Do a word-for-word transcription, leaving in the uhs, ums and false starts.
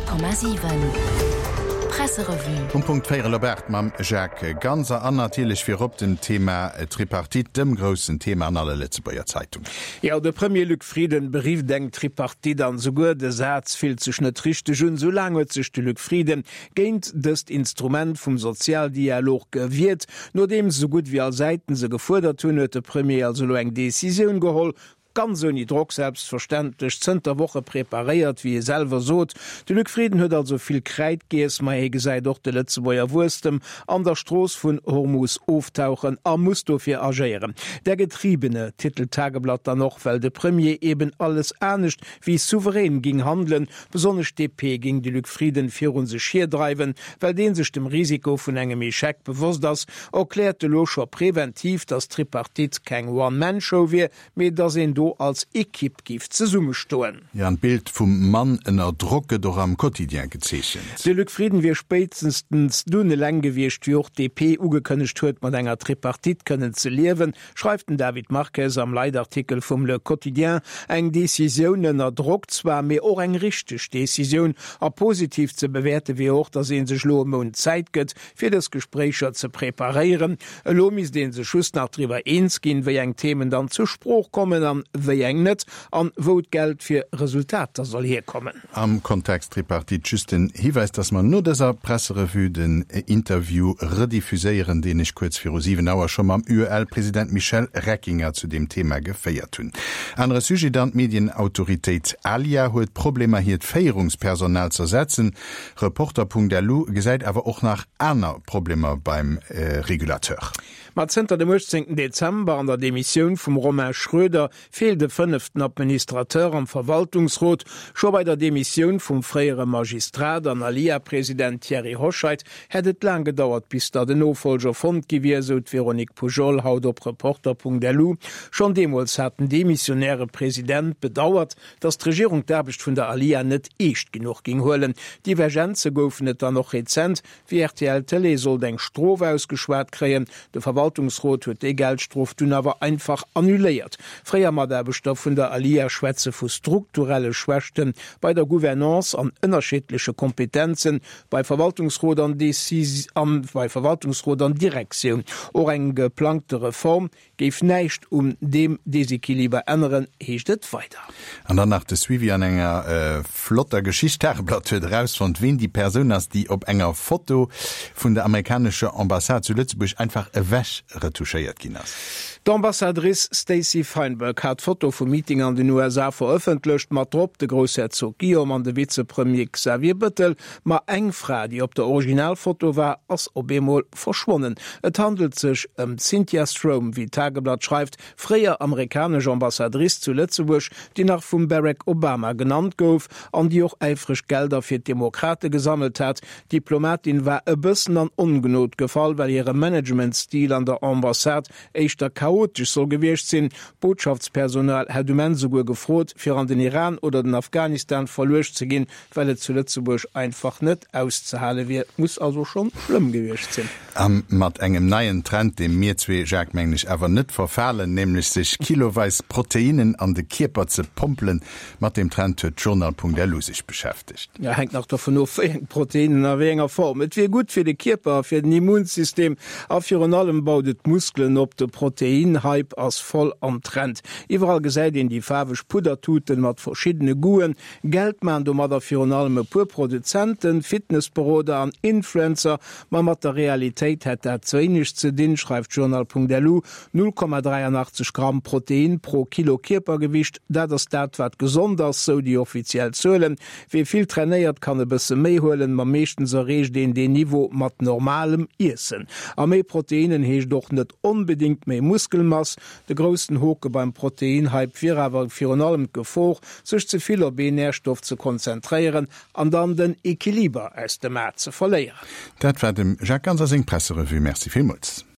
Honnert Komma siwen Presserevue. Um Punkt véierel op aacht mam Jacques Ganser an natierlech virop dem Thema Tripartite, dem groussen Thema an alle Lëtzebuerger Zeitungen. Jo, de Premier Luc Frieden berifft eng Tripartite an esouguer de Saz fillt sech net richteg un. Sou laang huet sech de Luc Frieden géint dëst Instrument vum Sozialdialog gewiert. Nodeems esou gutt wéi all Säiten se gefuerdert hunn, huet de Premier also elo eng Decisioun geholl, ganz ouni Drock selbstverständlech, zënter Woche preparéiert, wéi e selwer sot. De Luc Frieden huet also vill Kräid giess, ma hie gesäit och de Lëtzebuerger Wuesstem an der Strooss vun Hormus oftauchen a muss dofir agéieren. Der Getriebene titelt d'Tageblatt dann och, well de Premier eben alles anescht wéi souverän ging handelen. Besonnesch d'DP ging de Luc Frieden virun sech hierdreiwen, well dee sech dem Risiko vun engem Echec bewosst ass, erkläert elo scho preventiv, datt d'Tripartite keng One-Man-Show wier, mee datt een do als Ekipp géif zesummestoen. Jo, an d'Bild vum Mann ënner Drock gëtt och am Quotidien gezeechent. De Luc Frieden wier spéitstens dunn eleng gewiescht, wéi och d'DP ugekënnegt huet, mat enger Tripartite kënnen ze liewen, schreift den David Marques am Leitartikel vum Le Quotidien. Eng Decisioun ënner Drock zwar, mee och eng richteg Decisioun. A positiv ze bewäerte wier och, datt ee sech elo e Mount Zäit gëtt, fir dës Gespréicher ze preparéieren. Elo misst ee sech just nach driwwer eens ginn, wéi eng Themen dann zur Sprooch kommen an wéi eng net, an wou d'Geld fir Resultater soll hierkommen. Am Kontext Tripartite just den Hiwäis, dass mer no dëser Presserevue den Interview rediffuséieren, deen ech kuerz viru siwen Auer scho mam U E L-President Michel Reckinger zu deem Thema geféiert hunn. Anere Sujet dann, D'Medienautoritéit ALIA huet Problemer hiert Féierungspersonal z'ersetzen. Reporter Punkt L U gesäit awer och nach aner Problemer beim Regulateur. Ma zënter dem uechtzéngten Dezember an der Demissioun vum Romain Schroeder feelt e fënneften Administrateur am Verwaltungsrot. Scho bei der Demissioun vum fréiere Magistrat an ALIA-President Thierry Hoscheit hätt et laang gedauert, bis datt en Nofollger fonnt gi wier, esou d'Véronique Poujol haut op Reporter Punkt L U. Schonn deemools hat den demissionäre President bedauert, datt d'Regierung d'Aarbecht vun der ALIA net eescht genuch géing huelen. Divergenze goufen et dann och rezent, wéi R T L Tëlee sollt eng Strof ausgeschwat kréien. De Verwaltungsrot huet déi Geldstrof dunn awer einfach annuléiert. Fréier Mataarbechter vun der ALIA schwätze vu strukturelle Schwächte bei der Gouvernance an ënnerschiddleche Kompetenze bei Verwaltungsrot an bei Verwaltungsrot an Direktioun. Och eng geplangte Reform géif näischt un deem Desequiliber änneren, heescht et weider. An dann nach de Suivi an enger flotter Geschicht, D'Tageblatt huet erausfonnt, ween déi Persoun ass, déi op enger Foto vun der amerikanescher Ambassade zu Lëtzebuerg einfach ewech retuschéiert ginn ass. D'Ambassadrice Stacey Feinberg hat d'Foto vum Meeting an den U S A verëffentlecht, mat drop de Groussherzog Guillaume an de Vizepremier Xavier Bettel. Ma eng Fra, déi op der Originalfoto war, ass op eemol verschwonnen. Et handelt sech ëm d'Cynthia Stroum, wéi d'Tageblatt schreift, fréier amerikanesch Ambassadrice zu Lëtzebuerg, déi nach vum Barack Obama genannt gouf an déi och äifreg Gelder fir d'Demokrate gesammelt hat. D'Diplomatin war e bëssen an Ongnod gefall, well hire Managementstil an der Ambassade éischter chaotesch soll gewiescht sinn. D'Botschaftspersonal hätt um Enn souguer gefrot, fir an den Iran oder den Afghanistan verluecht ze ginn, well et zu Lëtzebuerg einfach net auszehale wier. Muss also schonn schlëmm gewiescht sinn. A mat engem neien Trend, deem mir zwee, Jacques, mengen ech, awer net verfalen, nämlech sech kiloweis Proteinnen an de Kierper ze pompelen, mat deem Trend huet d'Journal Punkt L U sech beschäftegt. Ja, hänkt nach dovun of, wéi eng Proteinnen a wéi enger Form. Et wier gutt fir de Kierper a fir den Immunsystem a virun allem baut et d'Muskelen op. De Protein-Hype ass voll am Trend. Iwwerall gesäit een déi faarweg Puddertuten mat verschiddene Goûten. Geld maachen domadder virun allem e puer Produzenten, Fitnessberoder an Influencer, ma mat der Realitéit hätt dat wéineg ze dinn, schreift Journal Punkt L U. null Komma dräianachtzeg Gramm Protein pro Kilo Kierpergewicht, dat ass dat, wat gesond ass, sou déi offiziell Zuelen. Wie vill trainéiert, kann e bësse méi huelen, ma meeschtens erreecht een deen Niveau mat normalem Iessen. A méi Proteinnen heescht och net onbedéngt méi Muskelmass. De groussen Hoke beim Proteinhype wier awer virun allem d'Gefor, sech ze vill op een Närstoff ze konzentréieren an dann den Equiliber aus dem A ze verléieren. Dat war dem Jacques Ganser seng Presserevue. Merci villmools.